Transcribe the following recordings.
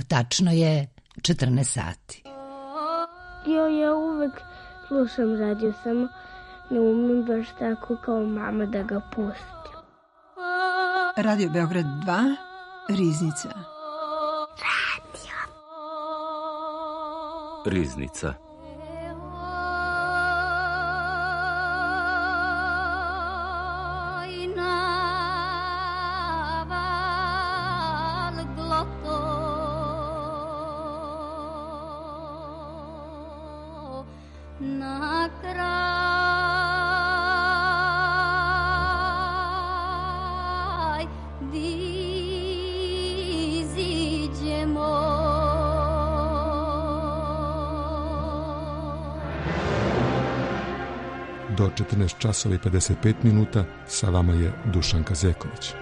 Tačno je 14 sati. Ja uvek slušam radio, samo ne umem baš tako kao mama da ga pustim. Radio Beograd 2, Riznica. Riznica. Do 14 časova i 55 minuta sa vama je Dušanka Zeković.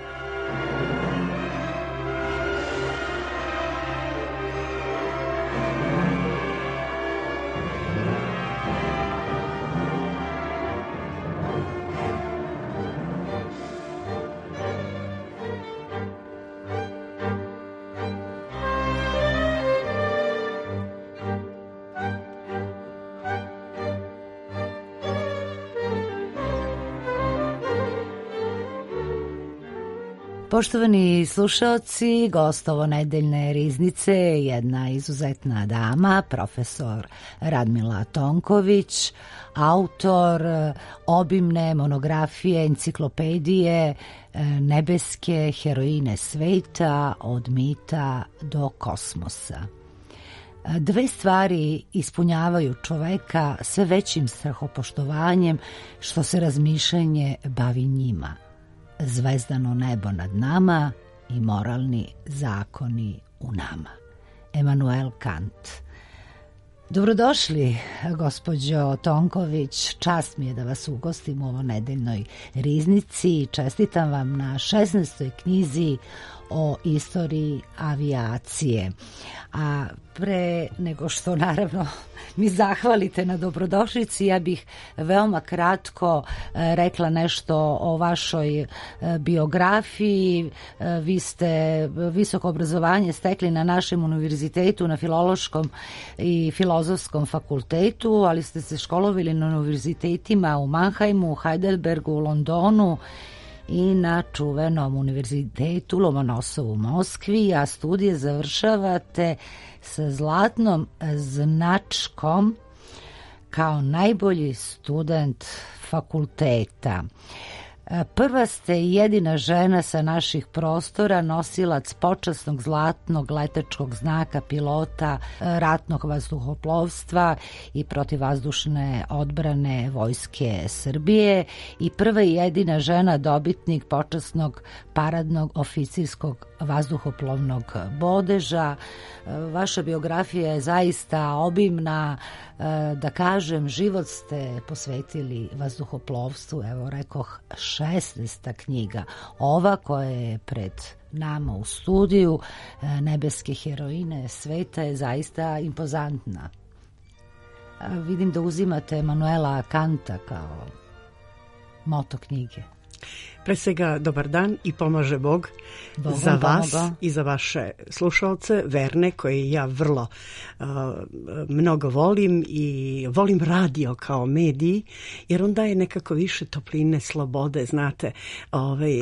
Poštovani slušaoci, gost ovo nedeljne Riznice je jedna izuzetna dama, profesor Radmila Tonković, autor obimne monografije, enciklopedije Nebeske heroine sveta od mita do kosmosa. Dve stvari ispunjavaju čoveka sve većim strahopoštovanjem što se razmišljanje bavi njima. Zvezdano nebo nad nama i moralni zakoni u nama. Emanuel Kant. Dobrodošli, gospođo Tonković. Čast mi je da vas ugostim u ovo nedeljnoj Riznici. Čestitam vam na 16. knjizi o istoriji avijacije. A pre nego što naravno mi zahvalite na dobrodošlici, ja bih veoma kratko rekla nešto o vašoj biografiji. Vi ste visoko obrazovanje stekli na našem univerzitetu, na Filološkom i Filozofskom fakultetu, ali ste se školovali na univerzitetima u Mannheimu, Heidelbergu, Londonu i na čuvenom univerzitetu Lomonosovu u Moskvi, a studije završavate sa zlatnom značkom kao najbolji student fakulteta. Prva ste i jedina žena sa naših prostora, nosilac počasnog zlatnog letačkog znaka pilota ratnog vazduhoplovstva i protivvazdušne odbrane Vojske Srbije i prva i jedina žena dobitnik počasnog paradnog oficirskog vazduhoplovnog bodeža. Vaša biografija je zaista obimna, da kažem, život ste posvetili vazduhoplovstvu, evo rekoh 16. knjiga. Ova koja je pred nama u studiju, Nebeske heroine sveta, je zaista impozantna. Vidim da uzimate Emanuela Kanta kao moto knjige. Pre svega, dobar dan i pomaže Bog za vas i za vaše slušalce, verne, koje ja vrlo mnogo volim i volim radio kao medij, jer on daje nekako više topline, slobode, znate,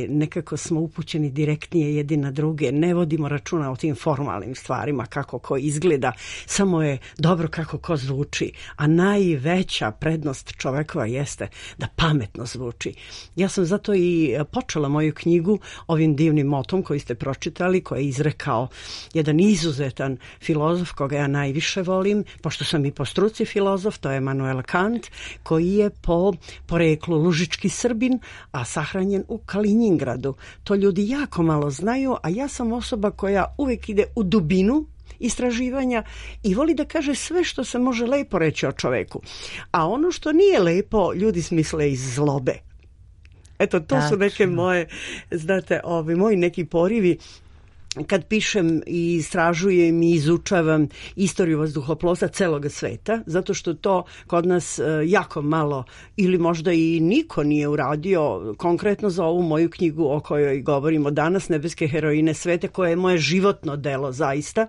nekako smo upućeni direktnije jedni na druge, ne vodimo računa o tim formalnim stvarima, kako ko izgleda, samo je dobro kako ko zvuči, a najveća prednost čovekova jeste da pametno zvuči. Ja sam zato i počela moju knjigu ovim divnim motom koji ste pročitali, koji je izrekao jedan izuzetan filozof koga ja najviše volim, pošto sam i po struci filozof, to je Emanuel Kant, koji je po poreklu lužički Srbin, a sahranjen u Kalinjingradu. To ljudi jako malo znaju, a ja sam osoba koja uvek ide u dubinu istraživanja i voli da kaže sve što se može lepo reći o čoveku. A ono što nije lepo, ljudi smisle iz zlobe. Eto, to su neke moje, znate, moji neki porivi kad pišem i istražujem i izučavam istoriju vazduhoplovstva celog sveta, zato što to kod nas jako malo ili možda i niko nije uradio, konkretno za ovu moju knjigu o kojoj govorimo danas, Nebeske heroine sveta, koje je moje životno delo zaista.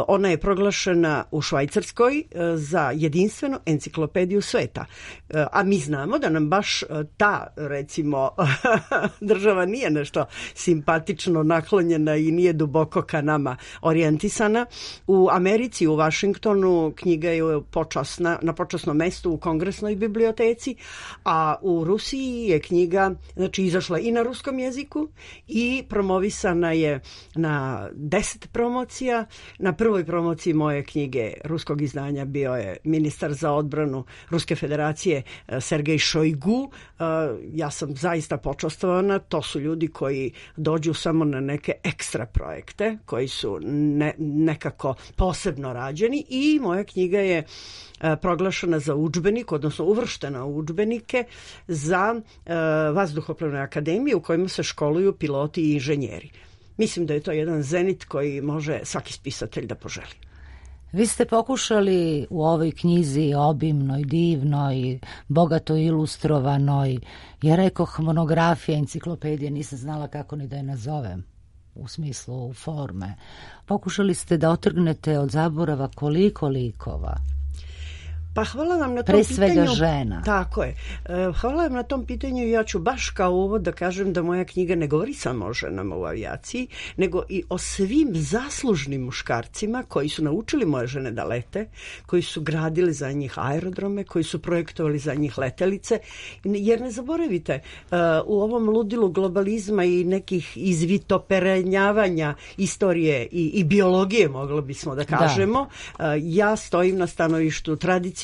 Ona je proglašena u Švajcarskoj za jedinstvenu enciklopediju sveta. A mi znamo da nam baš ta, recimo, država nije nešto simpatično naklonjena i nije duboko ka nama orijentisana. U Americi, u Vašingtonu, knjiga je na počasnom mestu u Kongresnoj biblioteci, a u Rusiji je knjiga izašla i na ruskom jeziku i promovisana je na 10 promocija. Na prvoj promociji moje knjige ruskog izdanja bio je ministar za odbranu Ruske federacije Sergej Šojgu. Ja sam zaista počastvovana. To su ljudi koji dođu samo na neke ekstra projekte koji su nekako posebno rađeni i moja knjiga je proglašena za udžbenik, odnosno uvrštena u udžbenike za vazduhoplovne akademije u kojima se školuju piloti i inženjeri. Mislim da je to jedan zenit koji može svaki spisatelj da poželi. Vi ste pokušali u ovoj knjizi obimnoj, divnoj, bogato ilustrovanoj, ja rekoh monografija, enciklopedija, nisam znala kako ni da je nazovem u smislu forme. Pokušali ste da otrgnete od zaborava koliko likova. Pa hvala vam na tom pre svega pitanju. Žena. Tako je. Hvala vam na tom pitanju i ja ću baš kao uvod da kažem da moja knjiga ne govori samo o ženama u avijaciji, nego i o svim zaslužnim muškarcima koji su naučili moje žene da lete, koji su gradili za njih aerodrome, koji su projektovali za njih letelice. Jer ne zaboravite, u ovom ludilu globalizma i nekih izvitoperenjavanja istorije i biologije, moglo bismo da kažemo, ja stojim na stanovištu tradicionalnom,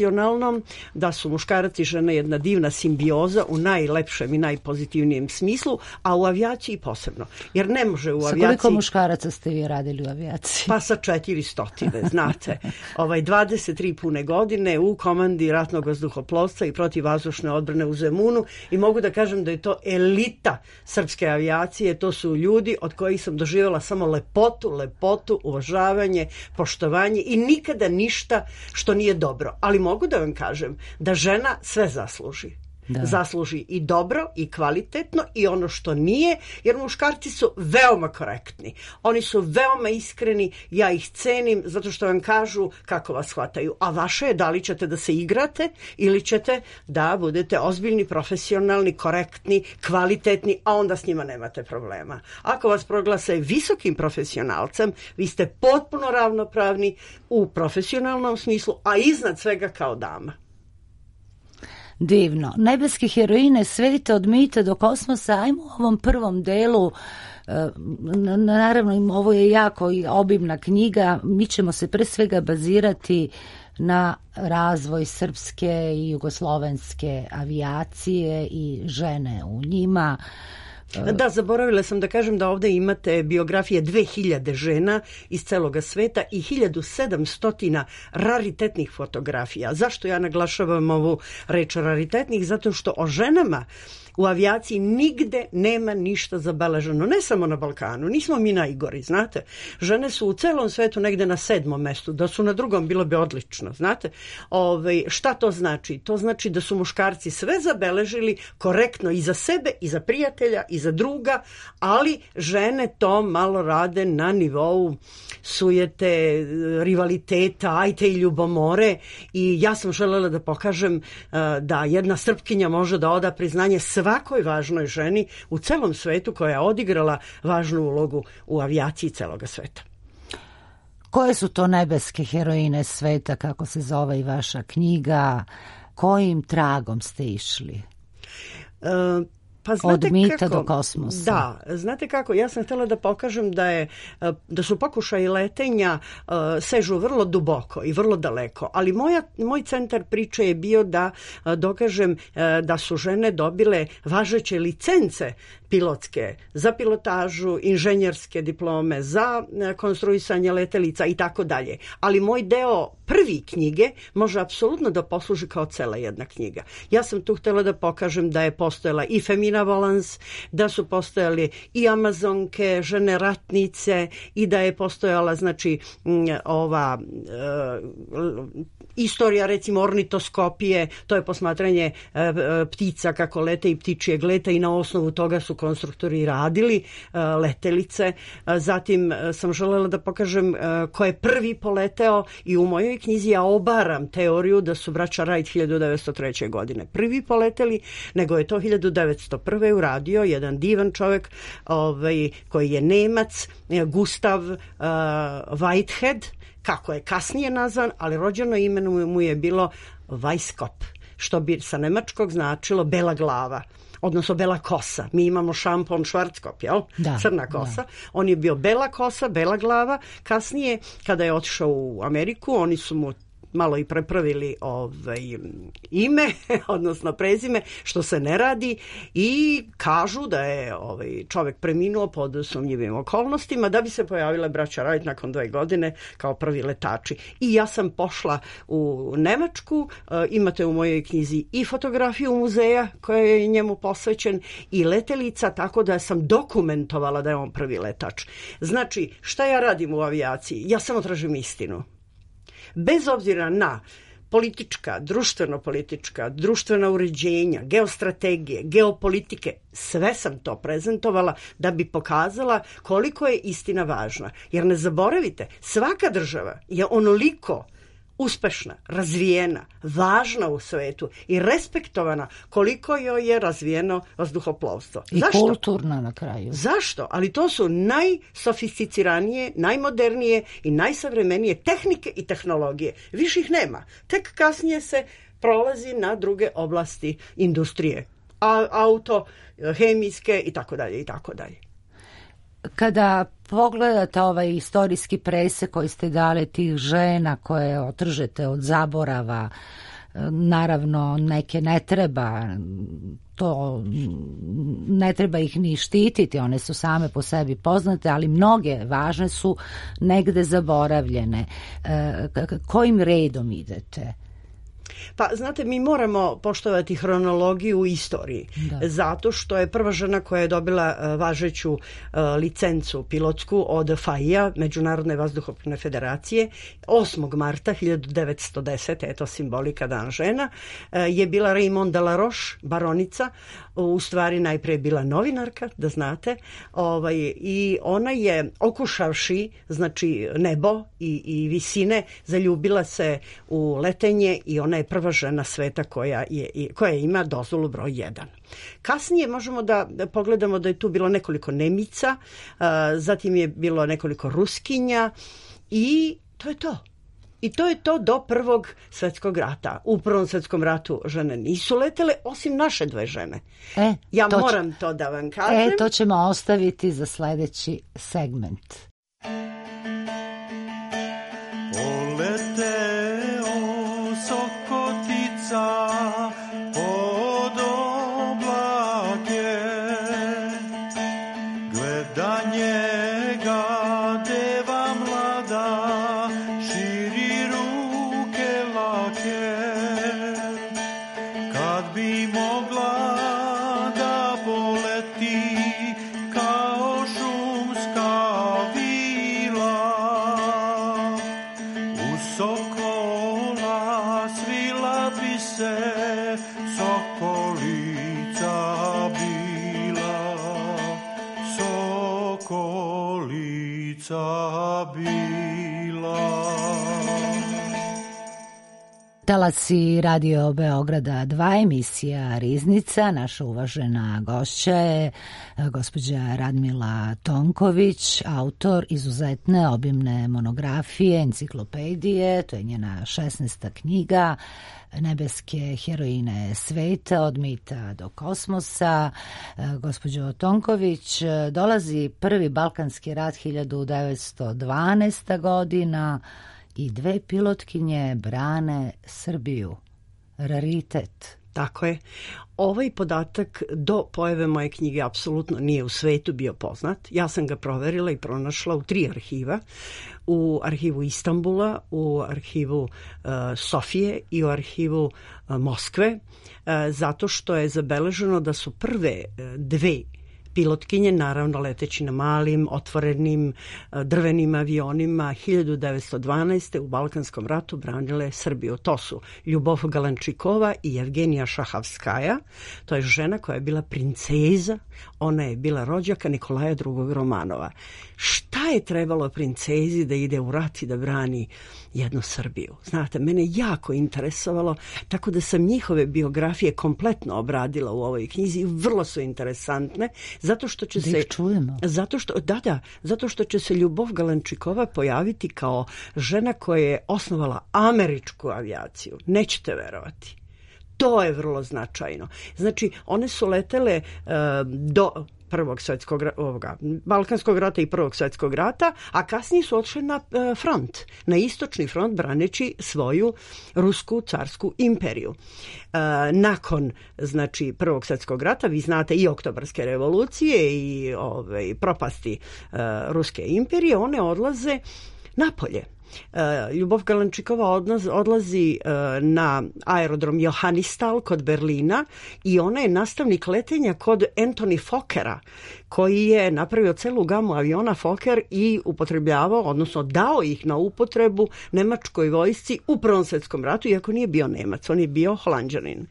da su muškarac i žena jedna divna simbioza u najlepšem i najpozitivnijem smislu, a u avijaciji posebno. Jer ne može u avijaciji... Sa koliko muškaraca ste vi radili u avijaciji? Pa sa 400, znate. 23 pune godine u komandi ratnog vazduhoplovstva i protivvazdušne odbrane u Zemunu i mogu da kažem da je to elita srpske avijacije. To su ljudi od kojih sam doživjela samo lepotu, uvažavanje, poštovanje i nikada ništa što nije dobro. Ali mogu da vam kažem da žena sve zasluži. Da. Zasluži i dobro i kvalitetno i ono što nije, jer muškarci su veoma korektni. Oni su veoma iskreni, ja ih cenim zato što vam kažu kako vas shvataju. A vaše je da li ćete da se igrate ili ćete da budete ozbiljni, profesionalni, korektni, kvalitetni, a onda s njima nemate problema. Ako vas proglase visokim profesionalcem, vi ste potpuno ravnopravni u profesionalnom smislu, a iznad svega kao dama. Divno. Nebeske heroine sveta od mita do kosmosa. Ajmo u ovom prvom delu, naravno ovo je jako obimna knjiga, mi ćemo se pre svega bazirati na razvoj srpske i jugoslovenske avijacije i žene u njima. Da, zaboravila sam da kažem da ovdje imate biografije 2000 žena iz celoga sveta i 1700 raritetnih fotografija. Zašto ja naglašavam ovu reč raritetnih? Zato što o ženama u avijaciji nigde nema ništa zabeleženo. Ne samo na Balkanu, nismo mi najgori, znate. Žene su u celom svetu negde na 7. mestu, da su na 2. bilo bi odlično, znate. Šta to znači? To znači da su muškarci sve zabeležili korektno i za sebe, i za prijatelja, i za druga, ali žene to malo rade na nivou sujete, rivaliteta, ajte i ljubomore i ja sam želela da pokažem da jedna Srpkinja može da oda priznanje svakoj važnoj ženi u celom svetu koja je odigrala važnu ulogu u avijaciji celoga sveta. Koje su to nebeske heroine sveta, kako se zove i vaša knjiga? Kojim tragom ste išli? Pa znate od mita kako, do kosmosa. Da, znate kako, ja sam htjela da pokažem da su pokušaji letenja sežu vrlo duboko i vrlo daleko, ali moj centar priče je bio da dokažem da su žene dobile važeće licence pilotske, za pilotažu, inženjerske diplome, za konstruisanje letelica i tako dalje. Ali moj deo prvi knjige može apsolutno da posluži kao cela jedna knjiga. Ja sam tu htjela da pokažem da je postojala i Femina Volans, da su postojali i Amazonke, žene ratnice i da je postojala znači ova istorija recimo ornitoskopije, to je posmatranje ptica kako lete i ptičijeg leta i na osnovu toga su konstruktori radili letelice. Zatim sam želela da pokažem ko je prvi poleteo i u mojoj knjizi ja obaram teoriju da su braća Wright 1903. godine prvi poleteli, nego je to 1901. uradio jedan divan čovjek koji je Nemac, Gustav Whitehead, kako je kasnije nazvan, ali rođeno ime mu je bilo Weisskopf, što bi sa nemačkog značilo bela glava, odnosno bela kosa. Mi imamo šampon Schwarzkopf, jel? Crna kosa. Da. On je bio bela kosa, bela glava. Kasnije, kada je otišao u Ameriku, oni su mu malo i prepravili ime, odnosno prezime, što se ne radi i kažu da je čovjek preminuo pod sumnjivim okolnostima da bi se pojavila braća Wright nakon 2 godine kao prvi letači. I ja sam pošla u Nemačku, imate u mojoj knjizi i fotografiju muzeja koja je njemu posvećen i letelica, tako da sam dokumentovala da je on prvi letač. Znači, šta ja radim u avijaciji? Ja samo tražim istinu. Bez obzira na politička, društveno-politička, društvena uređenja, geostrategije, geopolitike, sve sam to prezentovala da bi pokazala koliko je istina važna. Jer ne zaboravite, svaka država je onoliko uspešna, razvijena, važna u svetu i respektovana koliko joj je razvijeno vazduhoplovstvo. I zašto? Kulturna na kraju. Zašto? Ali to su najsofisticiranije, najmodernije i najsavremenije tehnike i tehnologije. Više ih nema. Tek kasnije se prolazi na druge oblasti industrije. Auto, hemijske i tako dalje i tako dalje. Kada pogledate ovaj istorijski presek koji ste dali tih žena koje otržete od zaborava, naravno neke ne treba, to ne treba ih ni štititi, one su same po sebi poznate, ali mnoge važne su negde zaboravljene. Kojim redom idete? Pa, znate, mi moramo poštovati hronologiju u istoriji, zato što je prva žena koja je dobila važeću licencu pilotsku od FAI-a, Međunarodne vazduhoplovne federacije, 8. marta 1910. eto simbolika Dan žena, je bila Raymond de la Roche, baronica, u stvari najprije bila novinarka, da znate, i ona je okušavši, znači, nebo i visine, zaljubila se u letenje i ona je prva žena sveta koja ima dozvolu broj 1. Kasnije možemo da pogledamo da je tu bilo nekoliko Nemica, zatim je bilo nekoliko Ruskinja i to je to. I to je to do Prvog svjetskog rata. U Prvom svjetskom ratu žene nisu letele, osim naše 2 žene. Moram to da vam kažem. To ćemo ostaviti za sljedeći segment. Poleteo sokotica pod oblake, gleda njega deva mlada, širi ruke lake, kad bi mogla da poleti kao šumska vila, u sokola svila bi se sokolica bila, sokolica bila. Talasi Radio Beograda 2, emisija Riznica. Naša uvažena gošća je gospođa Radmila Tonković, autor izuzetne obimne monografije, enciklopedije, to je njena 16. knjiga, Nebeske heroine sveta, od mita do kosmosa. Gospođo Tonković, dolazi prvi Balkanski rat 1912. godina i 2 pilotkinje brane Srbiju. Raritet. Tako je. Ovaj podatak do pojave moje knjige apsolutno nije u svetu bio poznat. Ja sam ga proverila i pronašla u 3 arhiva. U arhivu Istanbula, u arhivu Sofije i u arhivu Moskve, zato što je zabeleženo da su prve 2 pilotkinje, naravno leteći na malim, otvorenim drvenim avionima, 1912. u Balkanskom ratu branile Srbiju. To su Ljubov Galančikova i Evgenija Šahavskaja. To je žena koja je bila princeza, ona je bila rođaka Nikolaja II. Romanova. Šta je trebalo princezi da ide u rat i da brani jednu Srbiju? Znate, mene jako interesovalo, tako da sam njihove biografije kompletno obradila u ovoj knjizi. Vrlo su interesantne, zato što će se... čujemo. Zato što će se Ljubov Galančikova pojaviti kao žena koja je osnovala američku avijaciju. Nećete verovati. To je vrlo značajno. Znači, one su letele do Balkanskog rata i Prvog svjetskog rata, a kasnije su odšle na front, na istočni front, braneći svoju rusku carsku imperiju. Nakon, znači, Prvog svjetskog rata, vi znate i Oktobarske revolucije i propasti ruske imperije, one odlaze napolje. Ljubov Galančikova odlazi na aerodrom Johannisthal kod Berlina i ona je nastavnik letenja kod Anthony Fokkera, koji je napravio celu gamu aviona Fokker i upotrebljavao, odnosno dao ih na upotrebu nemačkoj vojsci u Prvom svjetskom ratu, iako nije bio Nemac, on je bio Holanđanin.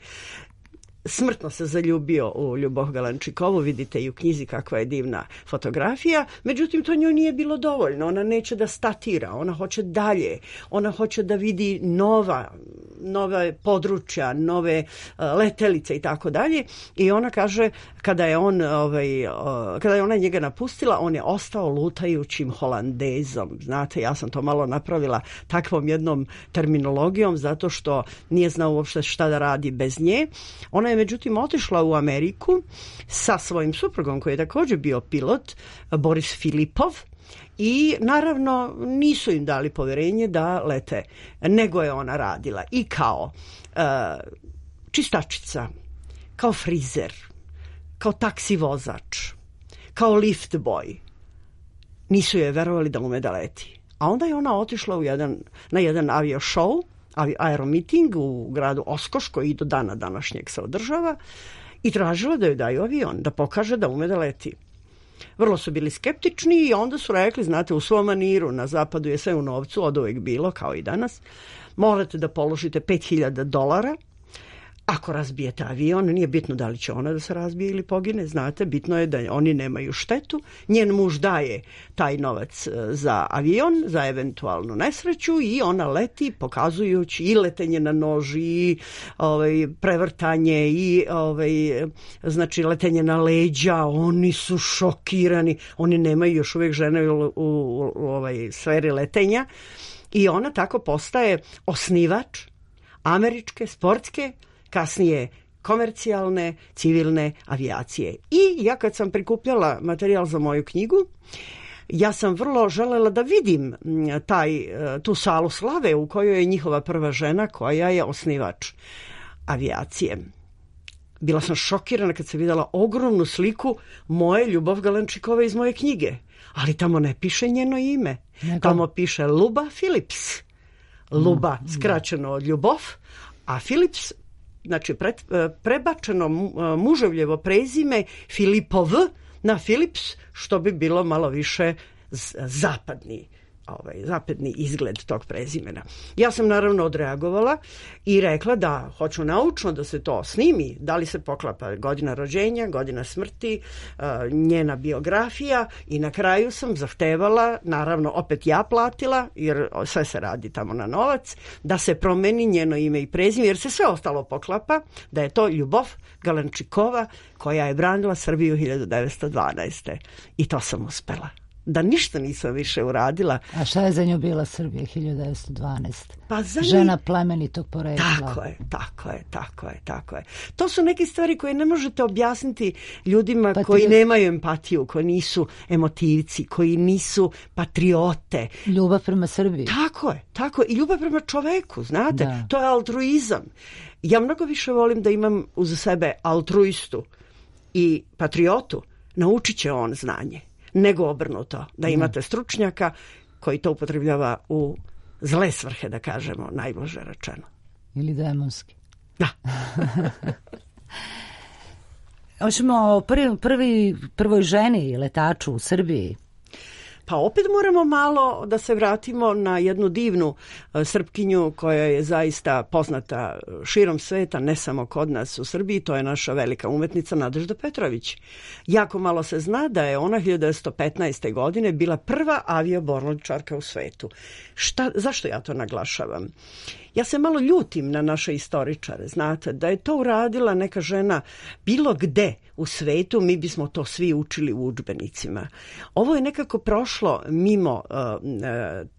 Smrtno se zaljubio u Ljubov Galančikovu, vidite i u knjizi kakva je divna fotografija, međutim to njoj nije bilo dovoljno, ona neće da statira, ona hoće dalje, ona hoće da vidi nove područja, nove letelice i tako dalje, i ona kaže kada je ona njega napustila, on je ostao lutajućim Holandezom. Znate, ja sam to malo napravila takvom jednom terminologijom zato što nije znao uopšte šta da radi bez nje. Ona je međutim otišla u Ameriku sa svojim suprugom koji je također bio pilot, Boris Filipov, i naravno nisu im dali poverenje da lete, nego je ona radila i kao čistačica, kao frizer, kao taksi vozač, kao lift boy. Nisu joj verovali da ume da leti. A onda je ona otišla na jedan avio show, aeromiting u gradu Oskoš, koji i do dana današnjeg se održava, i tražila da joj daju avion, da pokaže da ume da leti. Vrlo su bili skeptični i onda su rekli, znate, u svom maniru, na zapadu je sve u novcu, od uvek bilo, kao i danas, morate da položite $5.000, ako razbijete avion, nije bitno da li će ona da se razbije ili pogine, znate, bitno je da oni nemaju štetu. Njen muž daje taj novac za avion, za eventualnu nesreću, i ona leti pokazujući i letenje na noži, i prevrtanje, i znači letenje na leđa. Oni su šokirani, oni nemaju još uvijek žene u sferi letenja, i ona tako postaje osnivač američke, sportske, kasnije komercijalne, civilne avijacije. I ja kad sam prikupljala materijal za moju knjigu, ja sam vrlo želela da vidim tu salu slave u kojoj je njihova prva žena koja je osnivač avijacije. Bila sam šokirana kad sam vidjela ogromnu sliku moje Ljubov Galančikove iz moje knjige. Ali tamo ne piše njeno ime. Tamo piše Luba Philips. Luba skraćeno od Ljubov, a Philips, znači prebačeno muževljevo prezime Filipov na Philips, što bi bilo malo više zapadni izgled tog prezimena. Ja sam naravno odreagovala i rekla da hoću naučno da se to snimi, da li se poklapa godina rođenja, godina smrti, njena biografija, i na kraju sam zahtevala, naravno opet ja platila, jer sve se radi tamo na novac, da se promeni njeno ime i prezime, jer se sve ostalo poklapa, da je to Ljubov Galančikova koja je branila Srbiju 1912. I to sam uspela. Da ništa nisam više uradila. A šta je za nju bila Srbija 1912? Pa žena plemenitog porekla. Tako je. To su neke stvari koje ne možete objasniti ljudima koji nemaju empatiju, koji nisu emotivci, koji nisu patriote. Ljubav prema Srbiji. Tako je. I ljubav prema čoveku, znate. Da. To je altruizam. Ja mnogo više volim da imam uz sebe altruistu i patriotu, naučit će on znanje, nego obrnuto, da imate stručnjaka koji to upotrebljava u zle svrhe, da kažemo, najblaže rečeno. Ili demonski. Da. Hoćemo o prvoj ženi letaču u Srbiji. Pa opet moramo malo da se vratimo na jednu divnu Srpkinju koja je zaista poznata širom sveta, ne samo kod nas u Srbiji, to je naša velika umetnica Nadežda Petrović. Jako malo se zna da je ona 1915. godine bila prva avioborničarka u svetu. Zašto ja to naglašavam? Ja se malo ljutim na naše istoričare, znate, da je to uradila neka žena bilo gde u svetu, mi bismo to svi učili u udžbenicima. Ovo je nekako prošlo mimo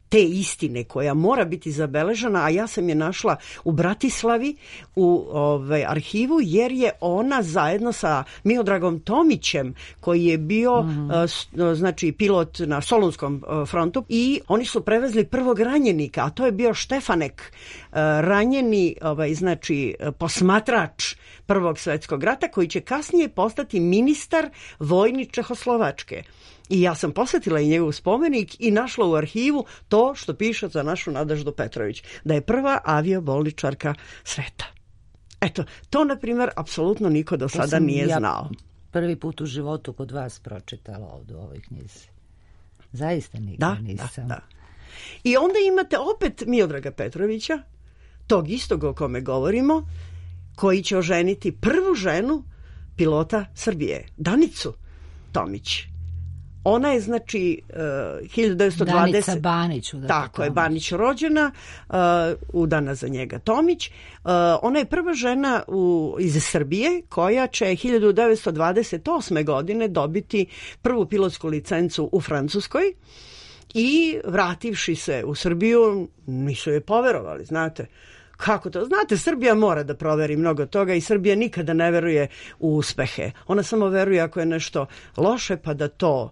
te istine koja mora biti zabeležena, a ja sam je našla u Bratislavi u arhivu, jer je ona zajedno sa Miodragom Tomićem, koji je bio znači pilot na Solunskom frontu, i oni su prevezli prvog ranjenika, a to je bio Štefanek, ranjeni znači posmatrač Prvog svjetskog rata, koji će kasnije postati ministar vojni Čehoslovačke. I ja sam posjetila i njegov spomenik i našla u arhivu to što piše za našu Nadeždu Petrović, da je prva aviobolničarka sveta. Eto, to na primjer apsolutno niko do sada nije znao. Prvi put u životu kod vas pročitala ovdje u ovoj knjizi. Zaista nikad nisam. Da. I onda imate opet Miodraga Petrovića, tog istog o kome govorimo, koji će oženiti prvu ženu pilota Srbije, Danicu Tomić. Ona je, znači, 1920... Danica Banić. Tako je, Banić rođena, udana za njega Tomić. Ona je prva žena iz Srbije koja će 1928. godine dobiti prvu pilotsku licencu u Francuskoj i vrativši se u Srbiju, nisu je poverovali, znate. Kako to? Znate, Srbija mora da proveri mnogo toga i Srbija nikada ne veruje u uspehe. Ona samo veruje ako je nešto loše, pa da to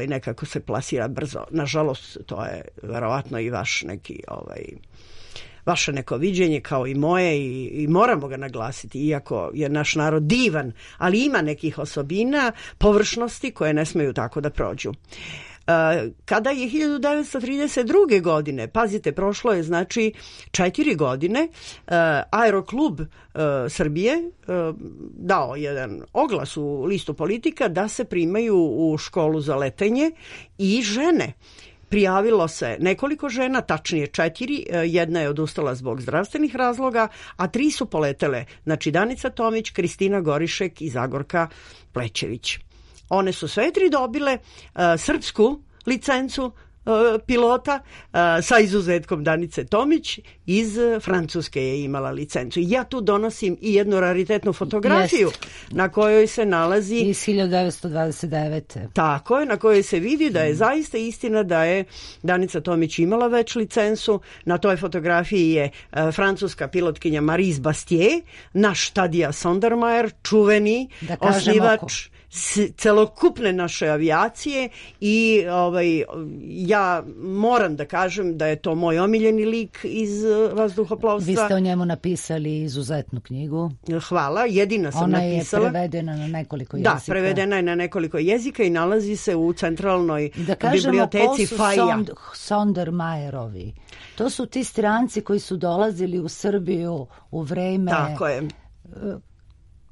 nekako se plasira brzo. Nažalost, to je verovatno i vaše neko viđenje kao i moje i moramo ga naglasiti, iako je naš narod divan, ali ima nekih osobina, površnosti koje ne smeju tako da prođu. Kada je 1932. godine, pazite, prošlo je znači 4 godine, Aeroklub Srbije dao jedan oglas u listu Politika da se primaju u školu za letenje i žene. Prijavilo se nekoliko žena, tačnije 4, jedna je odustala zbog zdravstvenih razloga, a 3 su poletele, znači Danica Tomić, Kristina Gorišek i Zagorka Plećević. One su sve 3 dobile srpsku licencu pilota, sa izuzetkom Danice Tomić iz Francuske je imala licencu. Ja tu donosim i jednu raritetnu fotografiju na kojoj se nalazi iz 1929. Tako je, na kojoj se vidi da je zaista istina da je Danica Tomić imala već licencu. Na toj fotografiji je francuska pilotkinja Marise Bastier, naš Tadija Sondermajer, čuveni osnivač celokupne naše avijacije i ja moram da kažem da je to moj omiljeni lik iz vazduhoplovstva. Vi ste o njemu napisali izuzetnu knjigu. Hvala, jedina sam napisala. Ona je prevedena na nekoliko jezika. Da, prevedena je na nekoliko jezika i nalazi se u centralnoj biblioteci FAIA. Da kažemo ko su Sondermajerovi. To su ti stranci koji su dolazili u Srbiju u vreme... Tako je.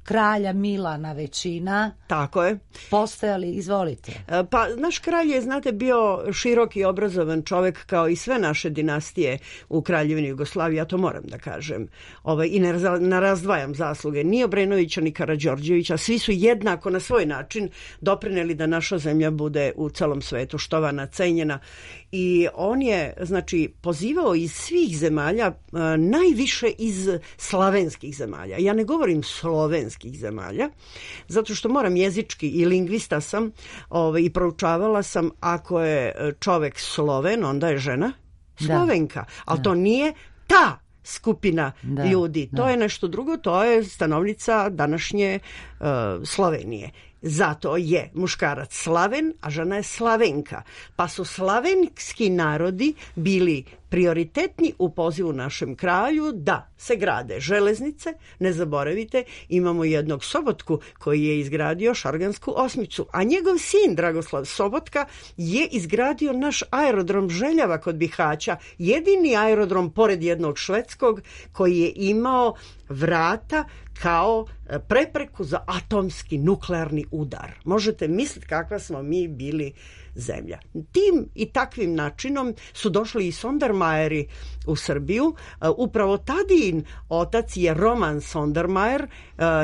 Kralja Milana većina. Tako je. Postojali, izvolite. Pa naš kralj je, znate, bio širok i obrazovan čovjek kao i sve naše dinastije u Kraljevini Jugoslavije, ja to moram da kažem. I ne razdvajam zasluge ni Obrenovića ni Karađorđevića, svi su jednako na svoj način doprineli da naša zemlja bude u celom svetu štovana, cenjena. I on je, znači, pozivao iz svih zemalja, najviše iz slavenskih zemalja. Ja ne govorim slovenskih zemalja, zato što moram jezički i lingvista sam i proučavala sam, ako je čovek Sloven, onda je žena Slovenka. Ali to nije ta skupina ljudi. To je nešto drugo, to je stanovnica današnje Slovenije. zato je muškarac Slaven, a žena je Slavenka. Pa su slavenski narodi bili prioritetni u pozivu našem kralju da se grade železnice. Ne zaboravite, imamo jednog Sobotku koji je izgradio Šargansku osmicu, a njegov sin Dragoslav Sobotka je izgradio naš aerodrom Željava kod Bihaća, jedini aerodrom pored jednog švedskog koji je imao vrata kao prepreku za atomski nuklearni udar. Možete misliti kakva smo mi bili zemlja. Tim i takvim načinom su došli i Sondermajeri u Srbiju. Upravo Tadijin otac je Roman Sondermajer,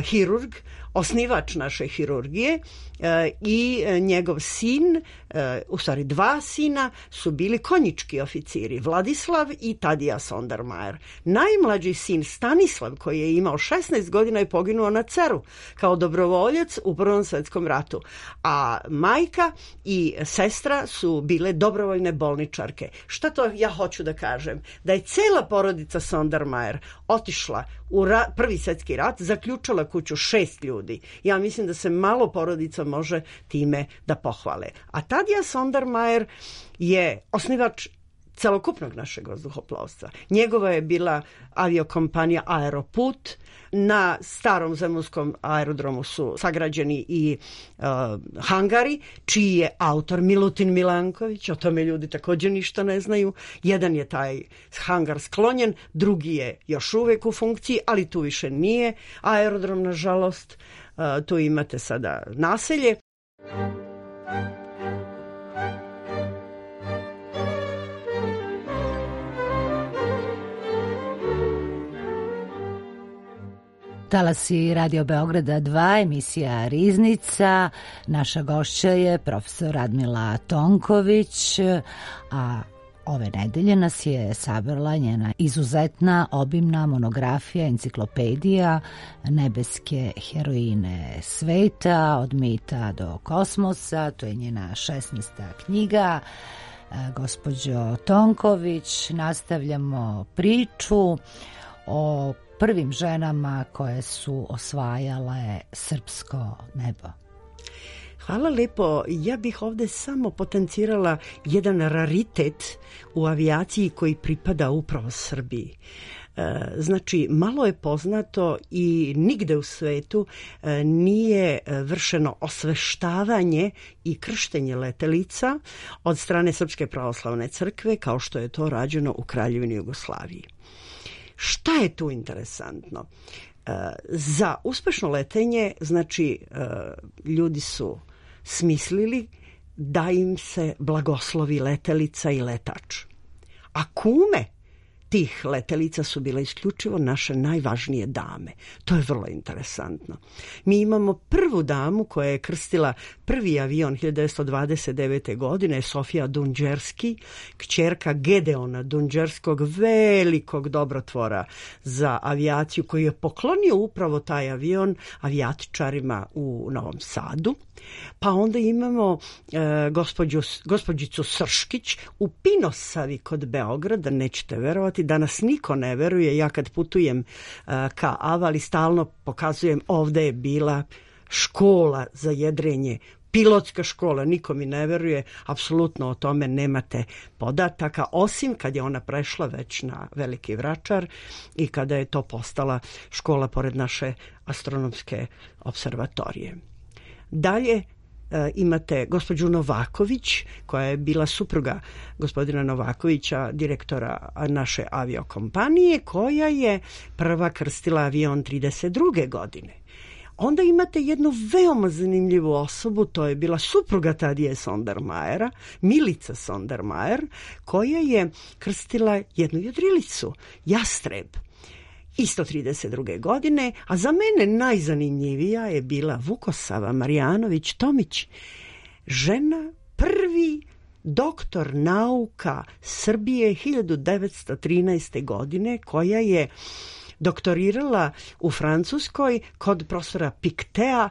hirurg, osnivač naše hirurgije, i njegov sin, u stvari dva sina, su bili konjički oficiri, Vladislav i Tadija Sondermajer. Najmlađi sin Stanislav, koji je imao 16 godina, je poginuo na Ceru kao dobrovoljac u Prvom svetskom ratu, a majka i sestra su bile dobrovoljne bolničarke. Šta to ja hoću da kažem? Da je cela porodica Sondermajer otišla u Prvi svjetski rat, zaključala kuću 6 ljudi. Ja mislim da se malo porodica može time da pohvale. A Tadija Sondermajer je osnivač celokupnog našeg vazduhoplovstva. Njegova je bila aviokompanija Aeroput. Na starom zemunskom aerodromu su sagrađeni i hangari, čiji je autor Milutin Milanković. O tome ljudi također ništa ne znaju. Jedan je taj hangar sklonjen, drugi je još uvijek u funkciji, ali tu više nije aerodrom, nažalost. Tu imate sada naselje. Talasi Radio Beograda 2, emisija Riznica. Naša gošća je profesor Radmila Tonković, a ove nedelje nas je sabrala njena izuzetna obimna monografija, enciklopedija Nebeske heroine sveta, od mita do kosmosa. To je njena 16. knjiga. Gospođo Tonković, nastavljamo priču o prvim ženama koje su osvajale srpsko nebo. Hvala lepo. Ja bih ovdje samo potencirala jedan raritet u avijaciji koji pripada upravo Srbiji. Znači, malo je poznato i nigde u svetu nije vršeno osveštavanje i krštenje letelica od strane Srpske pravoslavne crkve kao što je to rađeno u Kraljevini Jugoslaviji. Šta je tu interesantno? Za uspešno letenje, znači, ljudi su smislili da im se blagoslovi letelica i letač. A kume tih letelica su bile isključivo naše najvažnije dame. To je vrlo interesantno. Mi imamo prvu damu koja je krstila prvi avion 1929. godine, Sofija Dunđerski, kćerka Gedeona Dunđerskog, velikog dobrotvora za avijaciju, koji je poklonio upravo taj avion avijatičarima u Novom Sadu. Pa onda imamo gospođicu Srškić u Pinosavi kod Beograda, nećete verovati, danas niko ne veruje. Ja kad putujem ka Avali stalno pokazujem, ovdje je bila škola za jedrenje, pilotska škola, niko mi ne veruje, apsolutno o tome nemate podataka, osim kad je ona prešla već na Veliki Vračar i kada je to postala škola pored naše astronomske observatorije. Dalje imate gospođu Novaković, koja je bila supruga gospodina Novakovića, direktora naše aviokompanije, koja je prva krstila avion 32. godine. Onda imate jednu veoma zanimljivu osobu, to je bila supruga Tadije Sondermajera, Milica Sondermajer, koja je krstila jednu jedrilicu, Jastreb, isto 32. godine, a za mene najzanimljivija je bila Vukosava Marjanović Tomić, žena, prvi doktor nauka Srbije 1913. godine, koja je doktorirala u Francuskoj kod profesora Piktea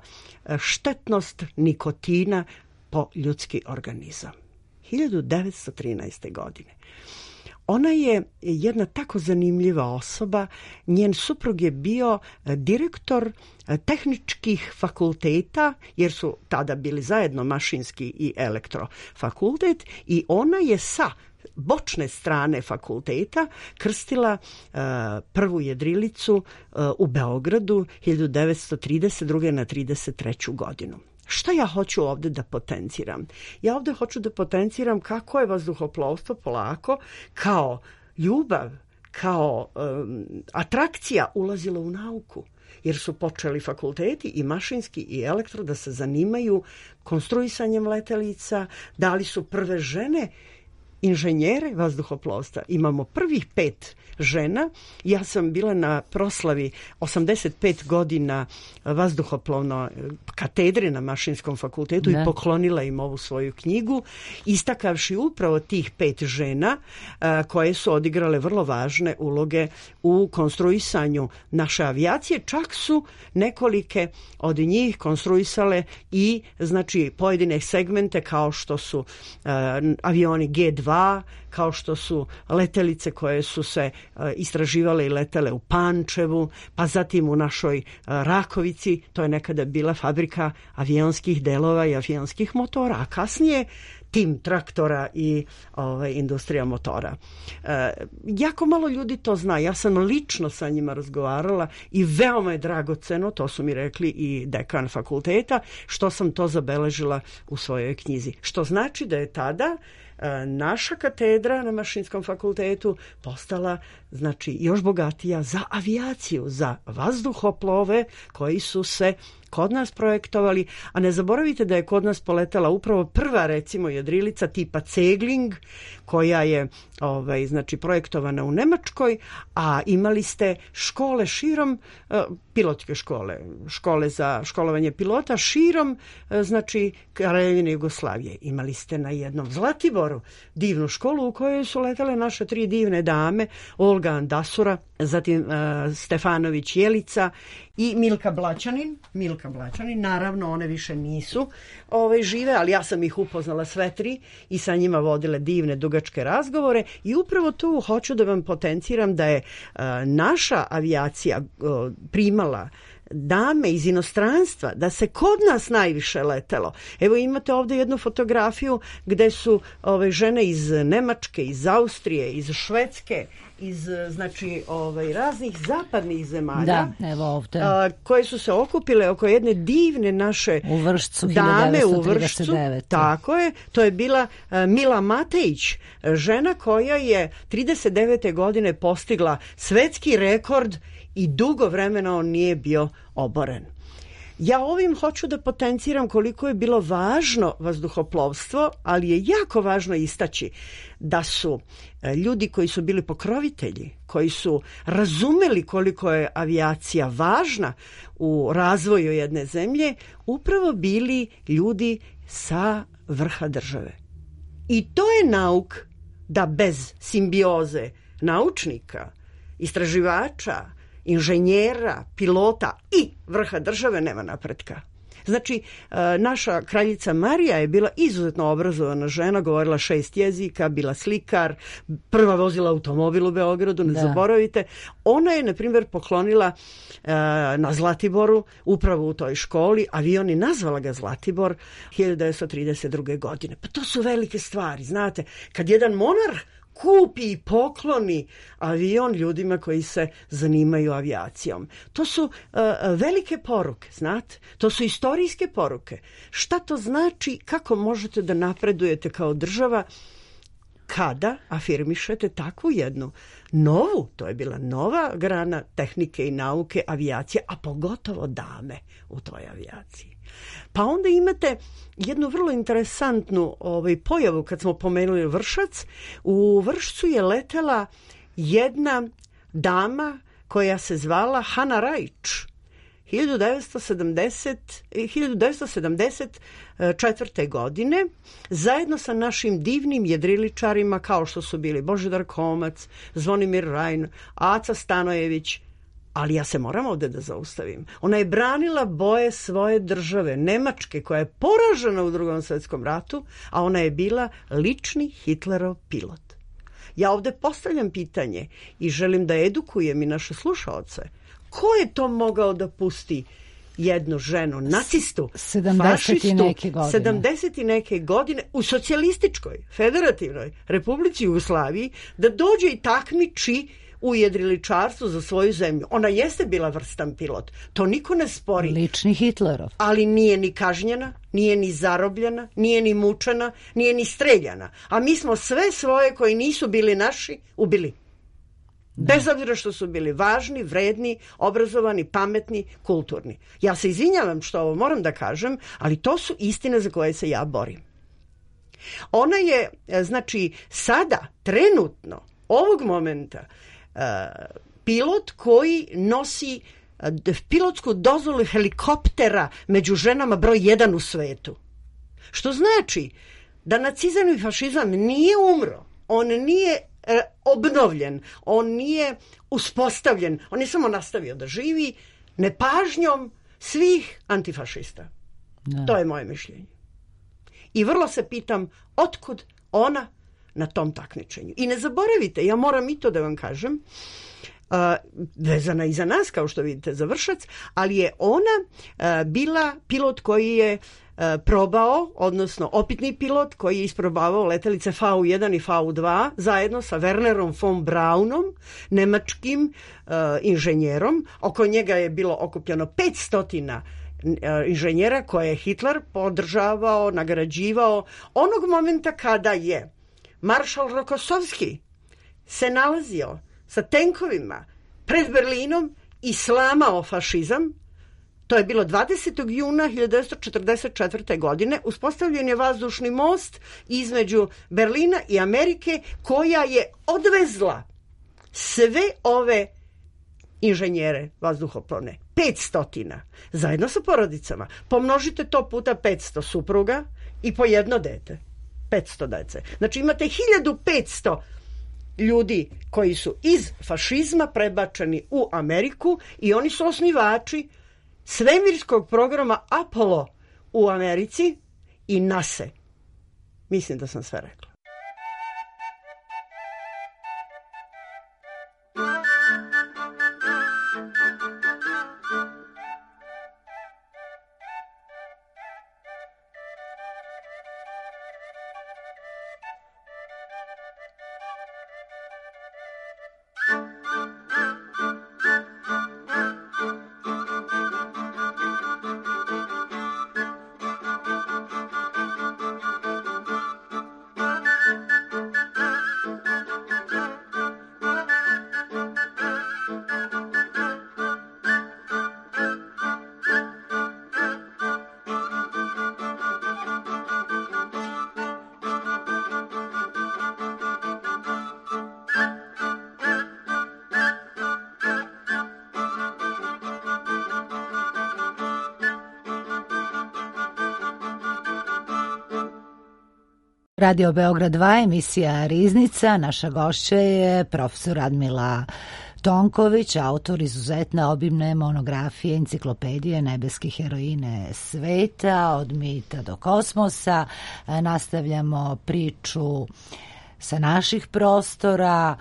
štetnost nikotina po ljudski organizam. 1913. godine. Ona je jedna tako zanimljiva osoba. Njen suprug je bio direktor tehničkih fakulteta, jer su tada bili zajedno mašinski i elektrofakultet, i ona je sa bočne strane fakulteta krstila prvu jedrilicu u Beogradu 1932. na 33. godinu. Šta ja hoću ovde da potenciram? Ja ovde hoću da potenciram kako je vazduhoplovstvo polako kao ljubav, kao atrakcija ulazilo u nauku. Jer su počeli fakulteti i mašinski i elektro da se zanimaju konstruisanjem letelica, dali su prve žene inženjere vazduhoplovstva. Imamo prvih 5 žena. Ja sam bila na proslavi 85 godina vazduhoplovno katedre na Mašinskom fakultetu i poklonila im ovu svoju knjigu, istakavši upravo tih 5 žena koje su odigrale vrlo važne uloge u konstruisanju naše avijacije. Čak su nekolike od njih konstruisale i znači pojedine segmente kao što su avioni G2, kao što su letelice koje su se istraživale i letele u Pančevu, pa zatim u našoj Rakovici, to je nekada bila fabrika avionskih delova i avionskih motora, a kasnije tim traktora i industrija motora. Jako malo ljudi to zna. Ja sam lično sa njima razgovarala i veoma je dragoceno, to su mi rekli i dekan fakulteta, što sam to zabeležila u svojoj knjizi. Što znači da je tada naša katedra na Mašinskom fakultetu postala znači još bogatija za avijaciju, za vazduhoplove koji su se kod nas projektovali, a ne zaboravite da je kod nas poletala upravo prva recimo jedrilica tipa Cegling koja je znači projektovana u Nemačkoj, a imali ste škole širom, pilotske škole za školovanje pilota širom znači Kraljevine Jugoslavije. Imali ste na jednom Zlatiboru divnu školu u kojoj su letale naše 3 divne dame, Olga Andasura, zatim Stefanović Jelica i Milka Blaćanin. Naravno one više nisu žive, ali ja sam ih upoznala sve 3 i sa njima vodile divne dugačke razgovore i upravo tu hoću da vam potenciram da je naša avijacija primala dame iz inostranstva, da se kod nas najviše letelo. Evo imate ovde jednu fotografiju gde su žene iz Nemačke, iz Austrije, iz Švedske, iz znači raznih zapadnih zemalja. Da, evo ovde. Koje su se okupile oko jedne divne naše dame u Vršcu. Tako je. To je bila Mila Matejić, žena koja je 39. godine postigla svetski rekord i dugo vremena on nije bio oboren. Ja ovim hoću da potenciram koliko je bilo važno vazduhoplovstvo, ali je jako važno istaći da su ljudi koji su bili pokrovitelji, koji su razumeli koliko je avijacija važna u razvoju jedne zemlje, upravo bili ljudi sa vrha države. I to je nauk da bez simbioze naučnika, istraživača, inženjera, pilota i vrha države nema napretka. Znači, naša kraljica Marija je bila izuzetno obrazovana žena, govorila 6 jezika, bila slikar, prva vozila automobil u Beogradu, ne zaboravite. Ona je, na primjer, poklonila na Zlatiboru, upravo u toj školi, avion i nazvala ga Zlatibor 1932. godine. Pa to su velike stvari, znate, kad jedan monarh kupi i pokloni avion ljudima koji se zanimaju avijacijom. To su velike poruke, znate. To su istorijske poruke. Šta to znači, kako možete da napredujete kao država kada afirmišete takvu jednu novu, to je bila nova grana tehnike i nauke avijacije, a pogotovo dame u toj avijaciji. Pa onda imate jednu vrlo interesantnu pojavu kad smo pomenuli Vršac. U Vršcu je letela jedna dama koja se zvala Hana Rajić. 1974. godine zajedno sa našim divnim jedriličarima kao što su bili Božidar Komac, Zvonimir Rajn, Aca Stanojević. Ali ja se moram ovde da zaustavim. Ona je branila boje svoje države, Nemačke, koja je poražena u Drugom svjetskom ratu, a ona je bila lični Hitlerov pilot. Ja ovde postavljam pitanje i želim da edukujem i naše slušaoce. Ko je to mogao da pusti jednu ženu, nacistu, 70 i neke godine u socijalističkoj, federativnoj Republici Jugoslaviji, da dođe i takmiči u jedriličarstvu za svoju zemlju. Ona jeste bila vrstan pilot, to niko ne spori. Lični Hitlerov. Ali nije ni kažnjena, nije ni zarobljena, nije ni mučena, nije ni streljana. A mi smo sve svoje koji nisu bili naši ubili. Bez obzira što su bili važni, vredni, obrazovani, pametni, kulturni. Ja se izvinjavam što ovo moram da kažem, ali to su istine za koje se ja borim. Ona je, znači, sada, trenutno, ovog momenta, pilot koji nosi pilotsku dozvolu helikoptera među ženama broj 1 u svetu. Što znači da nacizam i fašizam nije umro, on nije obnovljen, on nije uspostavljen, on je samo nastavio da živi nepažnjom svih antifašista. Da. To je moje mišljenje. I vrlo se pitam otkud ona na tom takmičenju. I ne zaboravite, ja moram i to da vam kažem, vezana i za nas, kao što vidite, za Vršac, ali je ona bila pilot koji je probao, odnosno opitni pilot koji je isprobavao letelice V1 i V2 zajedno sa Wernerom von Braunom, nemačkim inženjerom. Oko njega je bilo okupljeno 500 inženjera koje je Hitler podržavao, nagrađivao. Onog momenta kada je maršal Rokossovski se nalazio sa tenkovima pred Berlinom i slamao fašizam, to je bilo 20. juna 1944. godine, uspostavljen je vazdušni most između Berlina i Amerike koja je odvezla sve ove inženjere vazduhoplovne. 500 zajedno sa porodicama. Pomnožite to puta 500 supruga i po jedno dete. 500 dece. Znači imate 1500 ljudi koji su iz fašizma prebačeni u Ameriku i oni su osnivači svemirskog programa Apollo u Americi i NASA. Mislim da sam sve rekla. Radio Beograd 2, emisija Riznica. Naša gošća je profesor Radmila Tonković, autor izuzetne obimne monografije Enciklopedije nebeske heroine sveta, od mita do kosmosa. Nastavljamo priču sa naših prostora.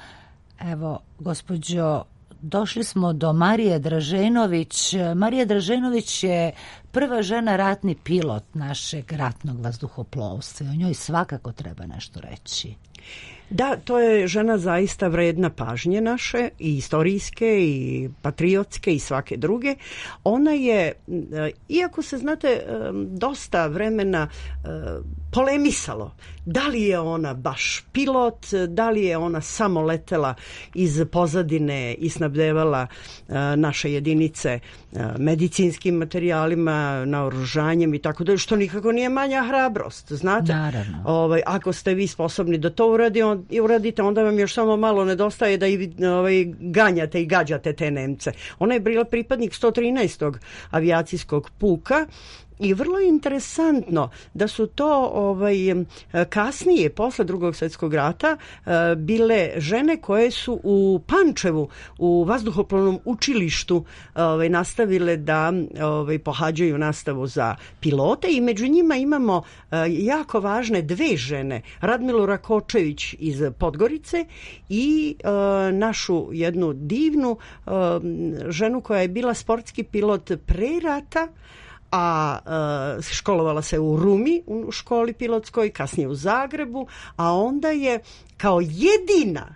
Evo, gospođo, došli smo do Marije Draženović. Marija Draženović je prva žena ratni pilot našeg ratnog vazduhoplovstva. O njoj svakako treba nešto reći. Da, to je žena zaista vredna pažnje naše, i istorijske, i patriotske, i svake druge. Ona je, iako se, znate, dosta vremena polemisalo, da li je ona baš pilot, da li je ona samo letela iz pozadine i snabdevala naše jedinice medicinskim materijalima, naoružanjem i tako da, što nikako nije manja hrabrost, znate. Naravno. Ako ste vi sposobni da to uradite, onda vam još samo malo nedostaje da i ganjate i gađate te Nemce. Ona je bila pripadnik 113. avijacijskog puka I vrlo je interesantno da su to kasnije, posle Drugog svjetskog rata, bile žene koje su u Pančevu, u vazduhoplovnom učilištu nastavile da pohađaju nastavu za pilote i među njima imamo jako važne dve žene, Radmilu Rakočević iz Podgorice i našu jednu divnu ženu koja je bila sportski pilot pre rata, a školovala se u Rumi u školi pilotskoj, kasnije u Zagrebu, a onda je kao jedina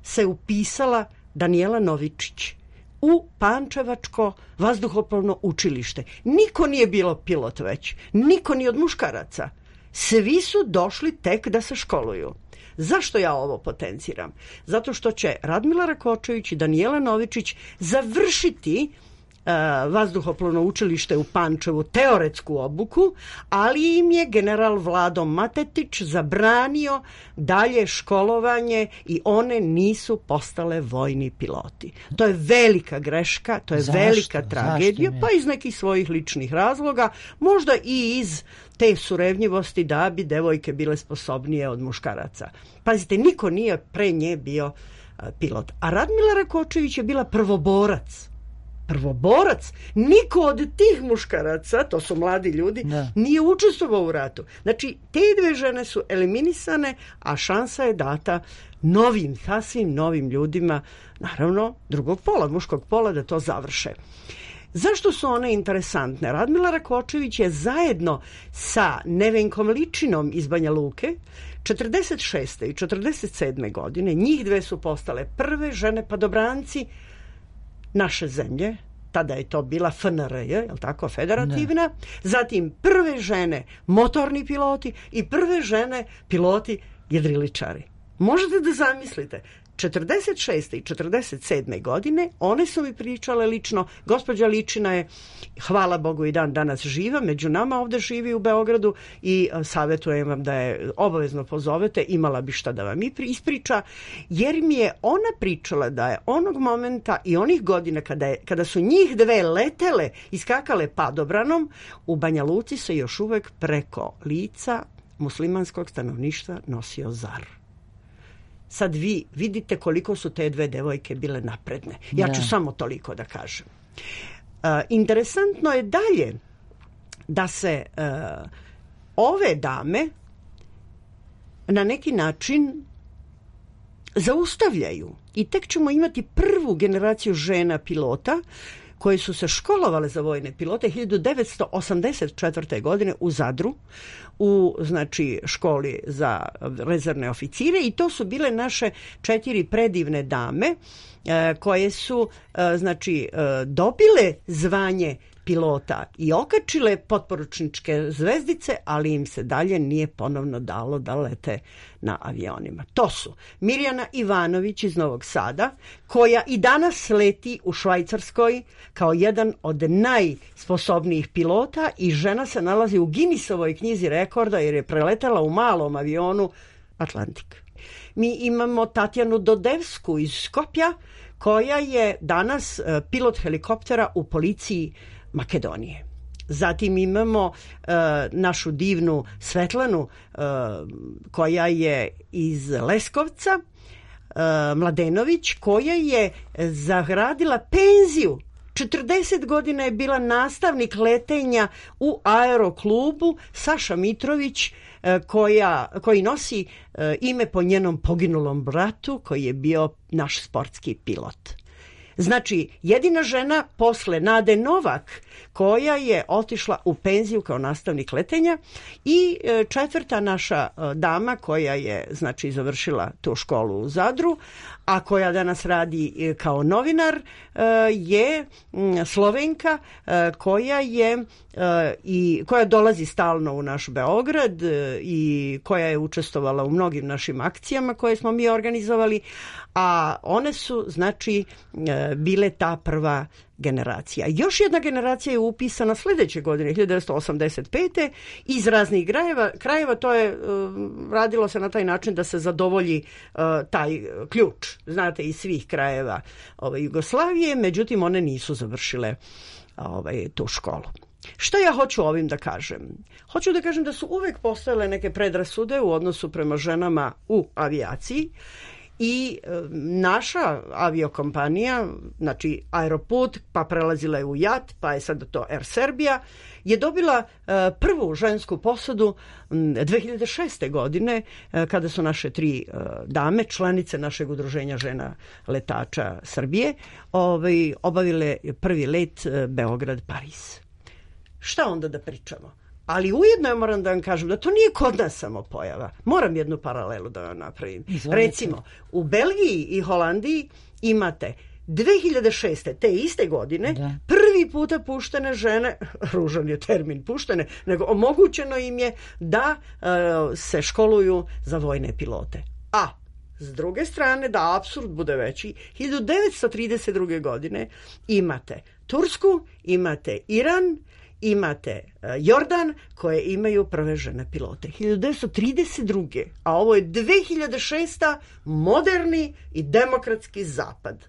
se upisala Danijela Novičić u Pančevačko vazduhoplovno učilište. Niko nije bilo pilot već, niko ni od muškaraca. Svi su došli tek da se školuju. Zašto ja ovo potenciram? Zato što će Radmila Rakočević i Danijela Novičić završiti vazduhoplovno učilište u Pančevu teoretsku obuku, ali im je general Vlado Matetić zabranio dalje školovanje i one nisu postale vojni piloti. To je velika greška, to je velika tragedija, pa iz nekih svojih ličnih razloga, možda i iz te surevnjivosti da bi devojke bile sposobnije od muškaraca. Pazite, niko nije pre nje bio pilot. A Radmila Rakočević je bila prvoborac. Niko od tih muškaraca, to su mladi ljudi, nije učestvovao u ratu. Znači, te dve žene su eliminisane, a šansa je data novim, sasvim novim ljudima, naravno drugog pola, muškog pola, da to završe. Zašto su one interesantne? Radmila Rakočević je zajedno sa Nevenkom Ličinom iz Banja Luke 46. i 47. godine, njih dve su postale prve žene padobranci naše zemlje, tada je to bila FNRJ, je li tako, federativna, zatim prve žene motorni piloti i prve žene piloti jedriličari. Možete da zamislite, 46. i 47. godine one su mi pričale lično, gospođa Ličina je, hvala Bogu, i dan danas živa, među nama ovde živi u Beogradu i savjetujem vam da je obavezno pozovete, imala bi šta da vam ispriča, jer mi je ona pričala da je onog momenta i onih godina kada su njih dve letele i skakale padobranom, u Banja Luci se još uvek preko lica muslimanskog stanovništva nosio zar. Sad vi vidite koliko su te dve devojke bile napredne. Ja ću samo toliko da kažem. Interesantno je dalje da se ove dame na neki način zaustavljaju i tek ćemo imati prvu generaciju žena pilota koje su se školovale za vojne pilote 1984. godine u Zadru, u školi za rezervne oficire, i to su bile naše 4 predivne dame koje su dobile zvanje pilota i okačile potporučničke zvezdice, ali im se dalje nije ponovno dalo da lete na avionima. To su Mirjana Ivanović iz Novog Sada, koja i danas leti u Švajcarskoj kao jedan od najsposobnijih pilota i žena se nalazi u Guinnessovoj knjizi rekorda jer je preletela u malom avionu Atlantik. Mi imamo Tatjanu Dodevsku iz Skopja, koja je danas pilot helikoptera u policiji Makedonije. Zatim imamo našu divnu Svetlanu koja je iz Leskovca, Mladenović, koja je zagradila penziju. 40 godina je bila nastavnik letenja u aeroklubu Saša Mitrović, koji nosi ime po njenom poginulom bratu koji je bio naš sportski pilot. Znači, jedina žena posle Nade Novak koja je otišla u penziju kao nastavnik letenja i četvrta naša dama koja je završila tu školu u Zadru, a koja danas radi kao novinar, je Slovenka koja dolazi stalno u naš Beograd i koja je učestvovala u mnogim našim akcijama koje smo mi organizovali, a one su bile ta prva generacija. Još jedna generacija je upisana sledeće godine, 1985. iz raznih krajeva. To je radilo se na taj način da se zadovolji taj ključ, znate, iz svih krajeva Jugoslavije, međutim one nisu završile tu školu. Šta ja hoću ovim da kažem? Hoću da kažem da su uvek postojale neke predrasude u odnosu prema ženama u avijaciji i naša aviokompanija, znači Aeroput, pa prelazila je u JAT, pa je sad to Air Serbia, je dobila prvu žensku posadu 2006. godine kada su naše 3 dame, članice našeg udruženja žena letača Srbije, obavile prvi let Beograd-Pariz. Šta onda da pričamo? Ali ujedno ja moram da vam kažem da to nije kod nas samo pojava. Moram jednu paralelu da vam napravim. Izvolite. Recimo, u Belgiji i Holandiji imate 2006. te iste godine prvi puta puštene žene, ružan je termin puštene, nego omogućeno im je da se školuju za vojne pilote. A s druge strane, da apsurd bude veći, 1932. godine imate Tursku, imate Iran, imate Jordan, koje imaju prve žene pilote. 1932. A ovo je 2006. moderni i demokratski zapad.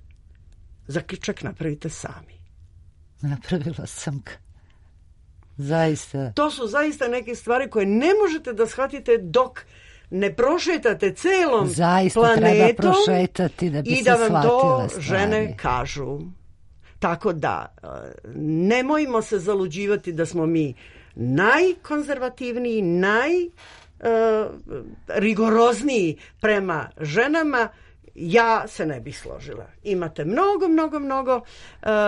Zaključak napravite sami. Napravila sam ga. Zaista. To su zaista neke stvari koje ne možete da shvatite dok ne prošetate celom zaista planetom treba prošetati da bi i se da vam to stvari. Žene kažu. Tako da, nemojmo se zaluđivati da smo mi najkonzervativniji, najrigorozniji prema ženama. Ja se ne bih složila. Imate mnogo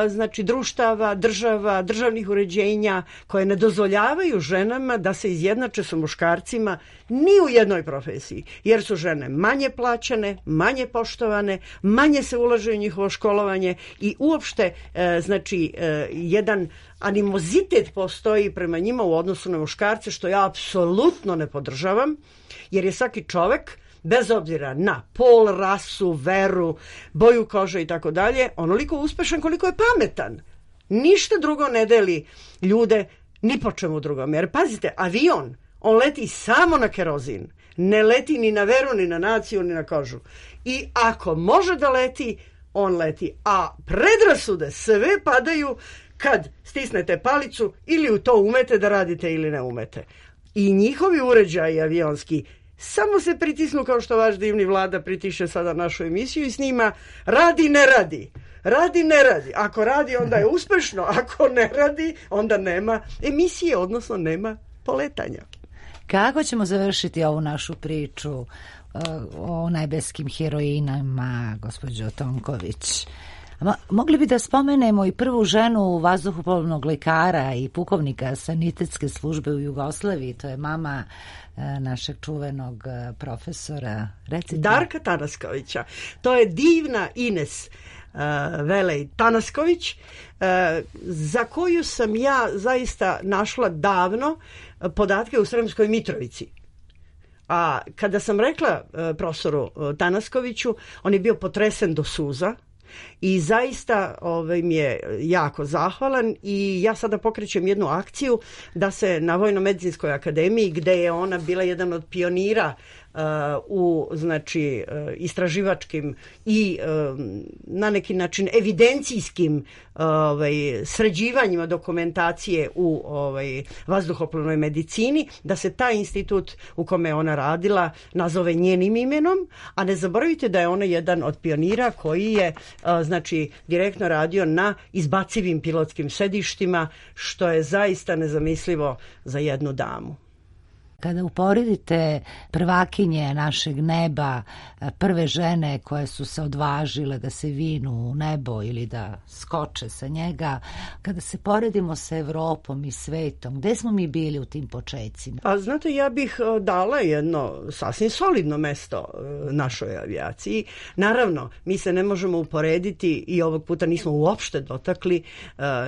znači društava, državnih uređenja koje ne dozvoljavaju ženama da se izjednače sa muškarcima ni u jednoj profesiji, jer su žene manje plaćene, manje poštovane, manje se ulaže u njihovo školovanje i uopšte znači jedan animozitet postoji prema njima u odnosu na muškarce, što ja apsolutno ne podržavam, jer je svaki čovek, bez obzira na pol, rasu, veru, boju kože i tako dalje, onoliko uspešan koliko je pametan. Ništa drugo ne deli ljude ni po čemu drugom. Jer pazite, avion, on leti samo na kerozin. Ne leti ni na veru, ni na naciju, ni na kožu. I ako može da leti, on leti. A predrasude sve padaju kad stisnete palicu ili u to umete da radite ili ne umete. I njihovi uređaji avionski samo se pritisnu kao što vaš divni Vlada pritiše sada našu emisiju i snima radi, ne radi. Radi, ne radi. Ako radi, onda je uspešno. Ako ne radi, onda nema emisije, odnosno nema poletanja. Kako ćemo završiti ovu našu priču o nebeskim heroinama, gospođo Tonković? Mogli bi da spomenemo i prvu ženu vazduhoplovnog lekara i pukovnika sanitetske službe u Jugoslaviji. To je mama našeg čuvenog profesora. Recite. Darka Tanaskovića. To je divna Ines Velej Tanasković, za koju sam ja zaista našla davno podatke u Sremskoj Mitrovici. A kada sam rekla profesoru Tanaskoviću, on je bio potresen do suza i zaista mi je jako zahvalan i ja sada pokrećem jednu akciju da se na Vojno-medicinskoj akademiji, gde je ona bila jedan od pionira u znači istraživačkim i na neki način evidencijskim sređivanjima dokumentacije u vazduhoplovnoj medicini, da se taj institut u kome je ona radila nazove njenim imenom, a ne zaboravite da je ona jedan od pionira koji je znači direktno radio na izbacivim pilotskim sedištima, što je zaista nezamislivo za jednu damu. Kada uporedite prvakinje našeg neba, prve žene koje su se odvažile da se vinu u nebo ili da skoče sa njega, kada se poredimo sa Evropom i svetom, gde smo mi bili u tim počecima? A znate, ja bih dala jedno sasvim solidno mesto našoj avijaciji. Naravno, mi se ne možemo uporediti i ovog puta nismo uopšte dotakli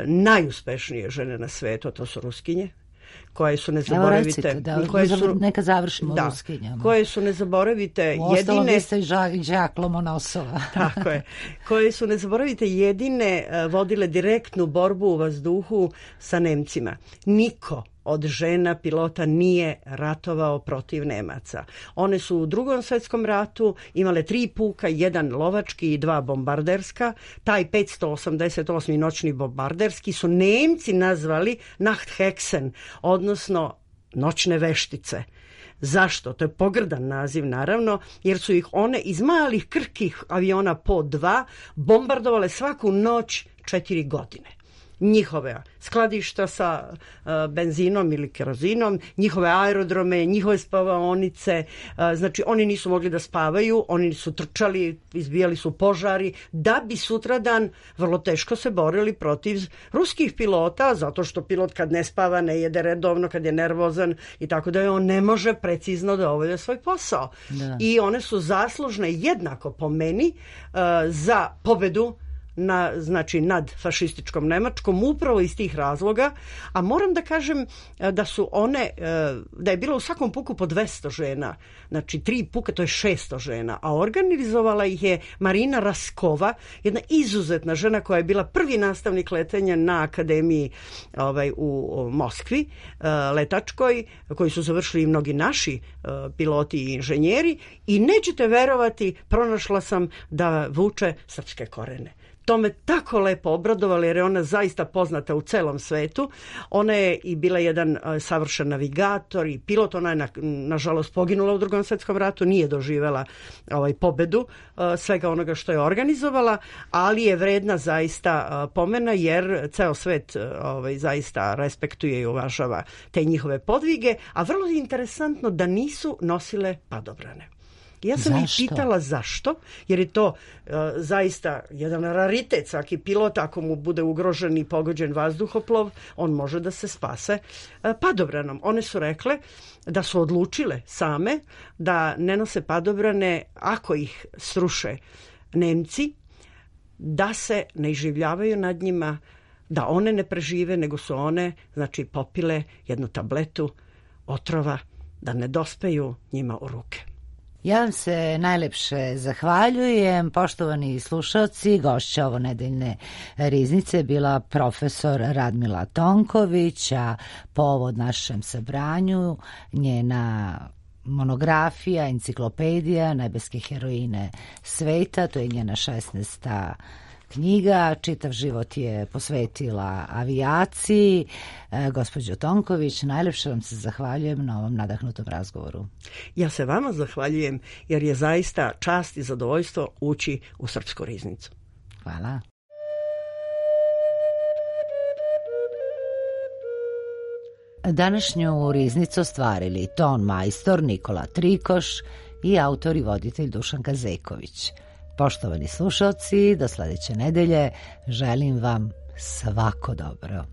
najuspešnije žene na svetu, to su Ruskinje, koje su nezaboravite. Evo recite, neka završimo Ruskinjama. Koje su nezaboravite jedine... Uostalom vi ste Žak Lomonosova. Tako je. Koje su nezaboravite jedine vodile direktnu borbu u vazduhu sa Nemcima. Niko od žena pilota nije ratovao protiv Nemaca. One su u Drugom svjetskom ratu imale 3 puka, 1 lovački i 2 bombarderska. Taj 588. noćni bombarderski su Nemci nazvali Nachthexen, odnosno noćne veštice. Zašto? To je pogrdan naziv, naravno, jer su ih one iz malih krhkih aviona po 2 bombardovale svaku noć 4 godine. Njihove skladišta sa benzinom ili kerozinom, njihove aerodrome, njihove spavaonice, znači oni nisu mogli da spavaju, oni su trčali, izbijali su požari, da bi sutradan vrlo teško se borili protiv ruskih pilota, zato što pilot kad ne spava, ne jede redovno, kad je nervozan i tako da on ne može precizno da obavlja svoj posao. Da. I one su zaslužne jednako po meni za pobedu nad fašističkom Nemačkom upravo iz tih razloga, a moram da kažem da su one, da je bilo u svakom puku po 200 žena, znači 3 puka to je 600 žena, a organizovala ih je Marina Raskova, jedna izuzetna žena koja je bila prvi nastavnik letenja na akademiji u Moskvi, letačkoj, koji su završili i mnogi naši piloti i inženjeri, i nećete verovati, pronašla sam da vuče srpske korene. To me tako lepo obradovalo jer je ona zaista poznata u celom svetu. Ona je i bila jedan savršen navigator i pilot. Ona je nažalost poginula u Drugom svjetskom ratu, nije doživela pobedu svega onoga što je organizovala, ali je vredna zaista pomena jer ceo svet zaista respektuje i uvažava te njihove podvige, a vrlo je interesantno da nisu nosile padobrane. Ja sam ih pitala zašto, jer je to zaista jedan raritet. Svaki pilot, ako mu bude ugrožen i pogođen vazduhoplov, on može da se spase padobranom. One su rekle da su odlučile same da ne nose padobrane ako ih sruše Nemci, da se ne iživljavaju nad njima, da one ne prežive, nego su one, znači, popile jednu tabletu otrova da ne dospeju njima u ruke. Ja vam se najlepše zahvaljujem. Poštovani slušalci, gošća ovo nedeljne riznice bila profesor Radmila Tonković, a povod našem sabranju njena monografija, enciklopedija Nebeske heroine sveta, to je njena 16. knjiga. Čitav život je posvetila avijaciji. Gospođo Tonković, najlepše vam se zahvaljujem na ovom nadahnutom razgovoru. Ja se vama zahvaljujem jer je zaista čast i zadovoljstvo ući u Srpsku riznicu. Hvala. Današnju riznicu ostvarili ton majstor Nikola Trikoš i autor i voditelj Dušan Kazeković. Poštovani slušalci, do sledeće nedelje želim vam svako dobro.